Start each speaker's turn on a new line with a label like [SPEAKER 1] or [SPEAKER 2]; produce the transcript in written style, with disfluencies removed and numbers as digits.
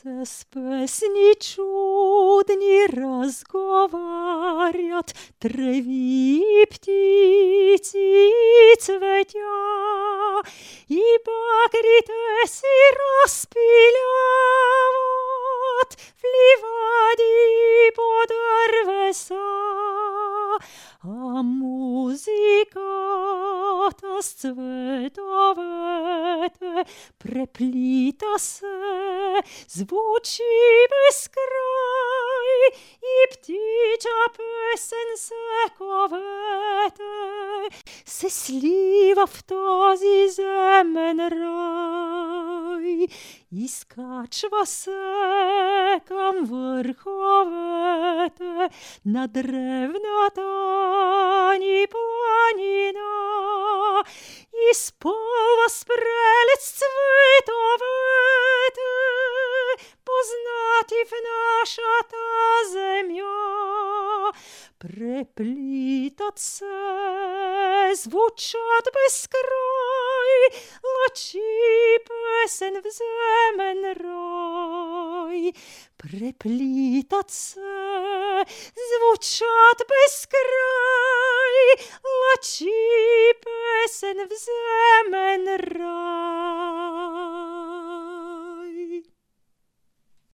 [SPEAKER 1] С песни чудни разговарят трави и птицы и цветя, и багрите си разпиляват в ливади по дървеса. А музиката с цветовете преплита се, звучи безкрай, и птича песен се ковете, се слива в този земен рай. Изкачва се към върховете на древната ни планина, изпълва с прелест цветовете, познати в нашата земя. Преплитат се, звучат безкрай, лъчи песен в земен рай. Преплитат се, звучат безкрай,